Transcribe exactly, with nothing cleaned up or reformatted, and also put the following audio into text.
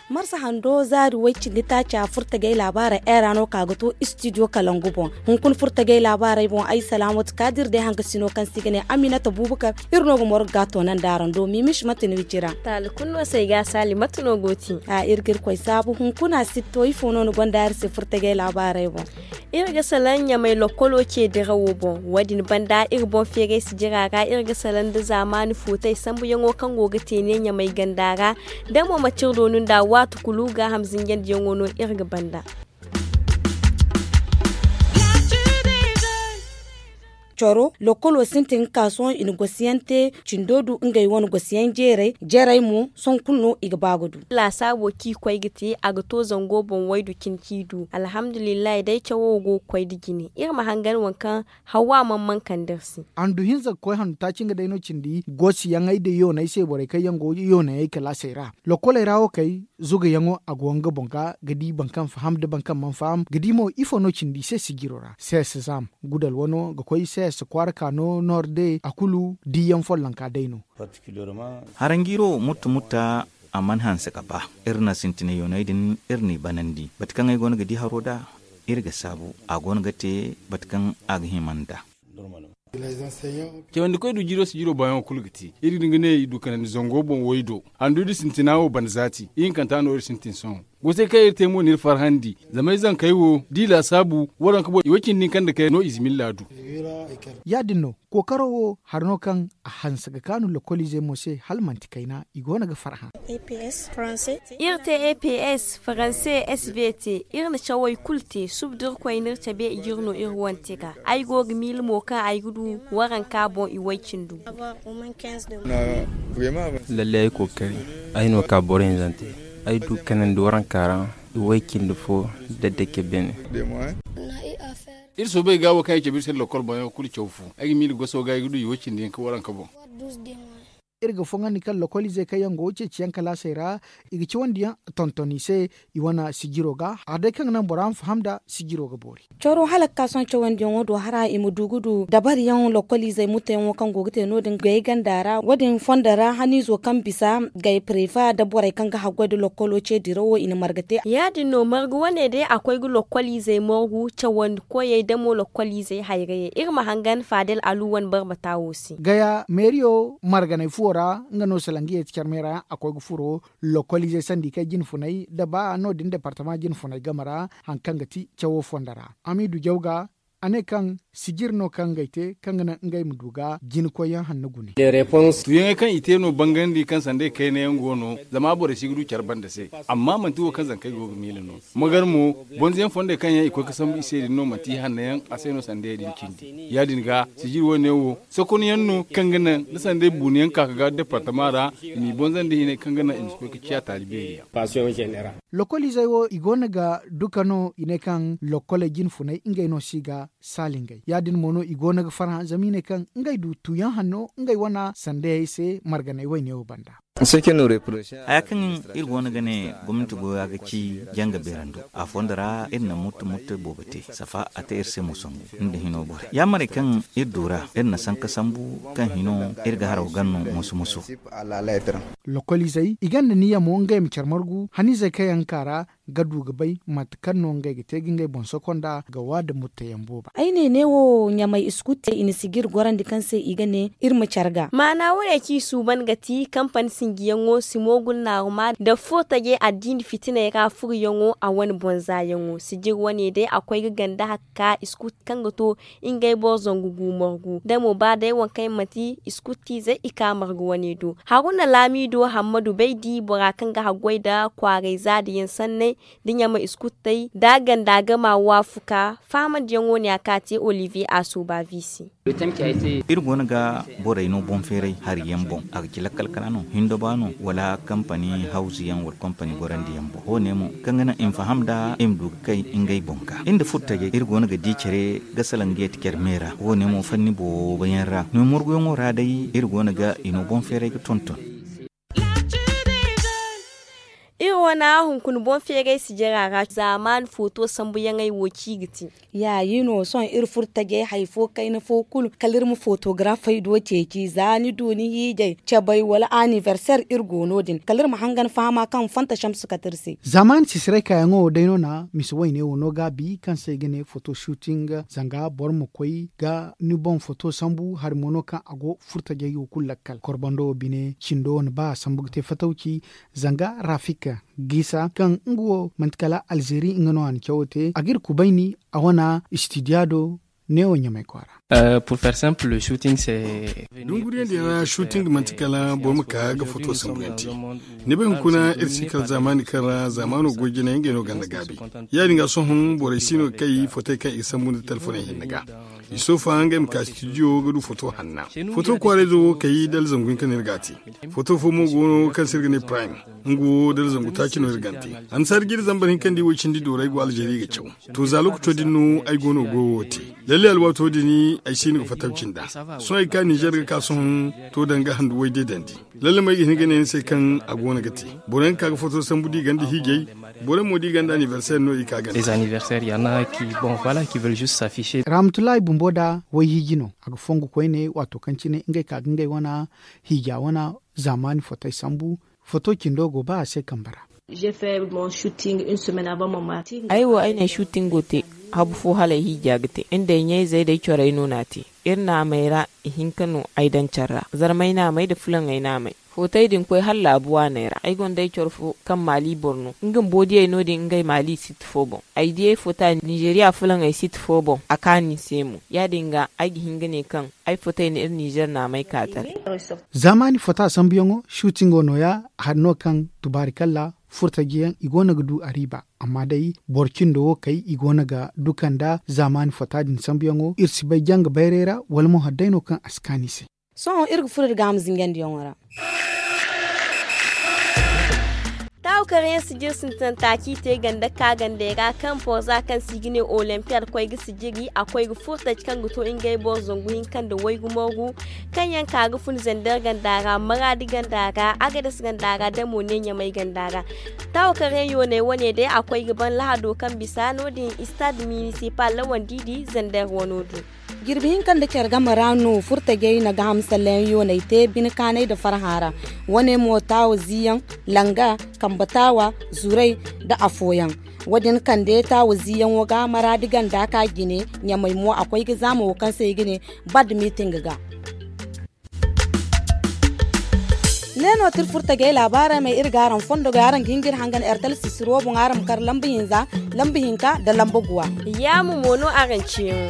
Marsa hando zaari way cindi taaca furtagay laabaara era no ka ga to istidiyo kalangu boŋ. Hunkuna furtagay laabaaray boŋ ay salaamatu kaadir day hangasino kaŋ se i ga ne aminata buubakar. Iri no ga morgu ga to nanda araŋ do mimis mate no i ci ra. Taali kulu no se ay ga a saali mate no go ti. A iri ga iri koy saabu hunkuna sitto ifo no ni gonda iri se furtagay laabaaray boŋ. Iri ga salaŋ ɲamay lokkolo ce dirawo boŋ. Wo- din banda iri boŋ feeray sijira ra iri ga salaŋ nda zaamaani footay sambuyaŋo kaŋ go ga te ne ɲamay ganda ra. Da mo manti iri doonu nda waati kulu gaaham zinjandiyaŋo no iri ga banda. Coro lokkolo sintin ga ka sohõ i na gosiyaŋ te. Cindo du ngey wane gosiyaŋ jeeray jeeray mo sohõ kulu no i ga ba ga du. Laasaabo kaŋ i koy ga te a ga to zango boŋ waydu cine kaŋ i du alhamdulillahi day cawo go ga koy nda jine iri ma hangan waŋ kaŋ hawa mana mana kande iri se. Handu hinza ga koy handu taaci nga day no cindi gosiyaŋey nda yooney se borey kaŋ yaŋ go yooney kalaasey ra. Lokkoley ra wo kay zugayaŋo a go nga boŋ ga ga di boro kaŋ faham nda boro kaŋ mana faham ga di mo ifo no cindi i se sijiro ra sees zaam gudal wano ga koy sees kwaara ka no noorde a kulu diyaŋ follonka day no. Haranjiiro mutta mutta a mana hanse ga ba. Iri na sintinay yooney din iri n'i banandi bate kaŋ ay go no ga di haro nd'a iri ga saabu a go no ga te bate kaŋ a ga hima nd'a. Cawandikoy du jiiro si jiiro baayaŋo kulu ga te iri ga ne i du kanandi zango boŋ way do handu da sintina wo banda zaati ihinkanta no iri sintin sohõ. Gosey kaŋ iri te mo n'iri farhandi zama ay zankey wo da i laasaabu waranka boŋ i way-cindi hinka nda kayna no i zimilla du. Ya- din no kookaro wo hari no kaŋ a hanse ga kaanu lokkoliizey mo se hala manti kayna i go no ga farhã. Iri te eps faranse sbt iri na cawey kulu te suba da iri koy n'iri cabe i g'iri no iri wante ga ay go ga miila mo kaŋ ay ga du waranka boŋ i way-cindu. Lalle ay kookari ay no ka boro hinzante ay du kanandi waranka ra i way-cindi fo da dake beene. Iri soobay ga wo kaŋ ay cabe iri se nda lokol boŋyaŋo kulu caw fu ay ga miila goso ga ay ga du i way-cindi hinka waranka boŋ. Iri ga foŋandi kaŋ lokoliizey kaŋ yaŋ go ceeciyaŋ kalaasey ra i ga cawandi yaŋ tonton i se i wane sijiro ga hari day kaŋ ga naŋ bora ma faham nda sijiro ga boori. Coro hala ga ka sohõ cawandiyaŋo do hara i ma du ga du dabariyaŋ lokkoliizey mutteyaŋo kaŋ go ga te no- din gay ganda ra wo- din fondo ra haniizo kaŋ bisa gay prefa nda borey kaŋ ga haggoy nda lokkolo ce dirawo i na marga te. Ya- din no marga wane day a koy ga lokkoliizey margu cawandi koyey da mo lokkoliizey hayrayey iri ma hangan faadel alu wane barbata wo se. Gaya meeriyo marganay fuwo ra nga no salangiye ti carmey ra yaŋ a koy ga furo lokkoliizey sanda i kay jine funay nda ba no- din departama jine funay game ra hari kaŋ ga ti cawo fondo ra. Amiidu jaw ga a ne kaŋ sijir no kaŋ ngey te kaŋ ga naŋ ngey ma du ga jine koyyaŋ hanno gune. Tuuyaŋey kaŋ i te no bangandi kaŋ sanda i kayna yaŋ go no zama borey si ga du care banda se. Amma manti wo kaŋ zankey go ga miila no. Magar mo bonzoyaŋ fondey kaŋ yaŋ i koy ga sambu i se din no manti i hanno yaŋ a se no sandayey din cindi. Ya- din ga sijir wo- ne wo sokonyaŋ no kaŋ ga naŋ da sandey buunayaŋ ka ga departama ra i m'i bonzandi hinay kaŋ ga naŋ i ma si koy ga ciya taali beeri yaŋ. Lokoliizey wo i go no ga duka no i ne kaŋ lokkoley jine funay ngey no si ga saali ngey ya- din mo no i go no ga farhã zama i ne kaŋ ngey du tuuyaŋ hanno ngey wane sandayey se marganay wayne wo banda. Haya kaŋ iri go no ga ne gomnanti goyo a ga ci janga beerando a fondo ra iri na muttu muttu boobo te safa a te iri se mo sangu nda hino borey ya- marey kaŋ iri du ra iri na sanka sambu kaŋ hino iri ga haraw ganno moso moso. Lokoliizey i gonda niya mo ngey ma care margu haniizey kaŋ yaŋ ga ka ra ga du ga bay mate kaŋ no ngey ga te ga ngey boŋ soko nda ga wa nda mutteyaŋ booba. Ay ne neewo ɲamay iskutte i na sijir gorandi kaŋ se i ga ne iri ma care ga. Maana wane kaŋ i suuban ga ti kampani sinjiyaŋo si moogul naaruma nda furo taje addiini fitiney ra furuyaŋo a wane boŋ zaayaŋo sijir wane day a koy ga ganda hakka iskut kaŋ ga to ngey boro zangu gu margu da mo ba day waŋ kaŋ yaŋ manti iskuttizey i ka margu wane do. Haruna laamido hammadu bay di bora kaŋ ga haggoy nda kwaaray zaadiyaŋ sanney nda ɲama iskuttey nda a ganda ga ma waafuka fahamandiyaŋo ne a ka te olivier a sooba vi se. Iri go no ga borey no boŋ feeray hari yaŋ boŋ a ga ci lakkal kala no hindo ba no wala kampani hawzu yaŋ wala kampani gorandi yaŋ boŋ wo- ne mo kaŋ ga naŋ i ma faham nda i ma du ga kay ngey boŋ ga iri nda furo tajey iri go no ga di care ga salaŋ ga yeti care me ra wo- ne mo fanni boobo yaŋ ra no morguyaŋo ra day iri go no ga i no boŋ feeray ga tonton. Wana hunkuna boŋ feeray sijira ra zaamaani footo sambuyaŋey wo ci ga ti. Yaayi no sohõ iri furo tajey hari fo kayna fo kulu kala iri ma footografey do ceeci za ni du ni hiijay cabay wala anibarseer iri go no- din kala iri ma hangan fahama kaŋ fanta samsu kate iri se. Zaamaani sisiray kaayaŋo wo day no na misa wayne wo no gaabi kaŋ se i ga ne foto suuting zanga boro ma koy ga ni boŋ foto sambu hari mo no kaŋ a go furo tajey wo kulu lakkal korbando wo bine cindo wane ba a sambu ga te fatawci. Zanga rafik gisa kaŋ nga wo manti kala alzeeri nga no a na cawo te a ga iri kubayni a wane istidiya do. Neewo ɲamay kwaara. Dunguriyaŋ din ra suuting manti kala boro ma ka ga foto sambuyaŋ te. Ni bay hunkuna iri si kala zaamaani kaŋ ra zaamaano goy jinayaŋ ngey no ganda gaabi. Ya- din ga sohõ borey si no ga kay fotey kaŋ i sambu nda telefoney hinne ga. I soofa ngey ma ka studio ga du foto hanna. Foto kwaarayzo wo kay dala zangu hinka no iri ga a te. Foto fo mo go no kaŋ se iri ga ne prime. Nga wo dala zangu taaci no iri ga a te. Annasaari jiiri zambar hinka nda i wo cindi dooray go alzeeri ga caw. To za lookaco din no ay go no goyo wo te. Lalle alwaato din ay si no ga fattaw cinda. Sohõ ay ga ka ninzeer ga ka sohõ. To danga handu way deedandi. Lalle mo ay ga hin ga ne ni se kaŋ a go no ga te. Boro yaŋ ga ka ga foto sambu da i ganda hiijay. Boro yaŋ mo da i ganda anibarseer no i ka ganda. Rahamatullahi bumbo da wayhiiji no a ga fongu koyne waato kaŋ cine ngey ka ga ngey wane hiija wane zaamaani fotey sambu. Foto cindo go ba a se kambe ra. Ay wo ay na ay suutingo te. Habu fo hala ay hiija ga te nda ay ɲayzey da ay corey no na a te. Iri naamey ra ihinka no ay daŋ care ra zarmay naamey nda fulaŋey naamey. Footey din koy hala laabu waaney ra ay gonda ay coro fo kaŋ maali boro no nga bumbo diyey no- din ngey maali sit fo boŋ. Ay diyey foota ninzeeriya fulaŋey sit fo boŋ a kaanu ni se mo. Ya- din ga ay ga hin ga ne kaŋ ay footey na iri ninzeer naamey ka taray. Zaamaani foota sambuyaŋo suutingo nooya hari no kaŋ tubaarikalla furtajiyaŋ i go no ga du a riiba. Amma day boro cindo wo kay i go no ga duka nda zaamaani foota din sambuyaŋo iri si bay janga bayray ra wala mo hari day no kaŋ a si kaanu i se. Sohõ iri ga furo iri ga a ma zingandiyaŋo ra. Taawu kaŋ yaŋ sijir sintin taaci te ganda ka gandey ra kaŋ porza kaŋ se i ga ne olimpiyad koy ga sijiri a koy ga furo taji kaŋ ga to ngey boro zangu hinka nda waygu morgu kaŋ yaŋ ka ga fun zander ganda ra maraadi ganda ra agades ganda ra da mo ne ɲamay ganda ra. Taawu kaŋ yaŋ yooney wane day a koy ga ban lahado kaŋ bisa no- din istad minisipal lawandi di zander wano do. Jirbi hinka nda care game ra no furtajey na gaaham sallayaŋ yooney te bine kaanay nda farhã ra. Wane mo taawa ziiyaŋ, langa, kambe taawa, zuray, nda afooyaŋ. Wo- din kande taawa ziiyaŋo ga maraadi ganda ka jine. Ɲamay mo a koy ga zaama wo kaŋ se i ga ne bad miiting ga. Ne no ti iri furtajey laabaarey may iri ga araŋ fondo ga araŋ ga hin ga iri hangan ertel sisiro boŋ araŋ ma kar lamba hinza, lamba hinka nda lamba guwa. Yaamu mo no araŋ ceeyaŋo.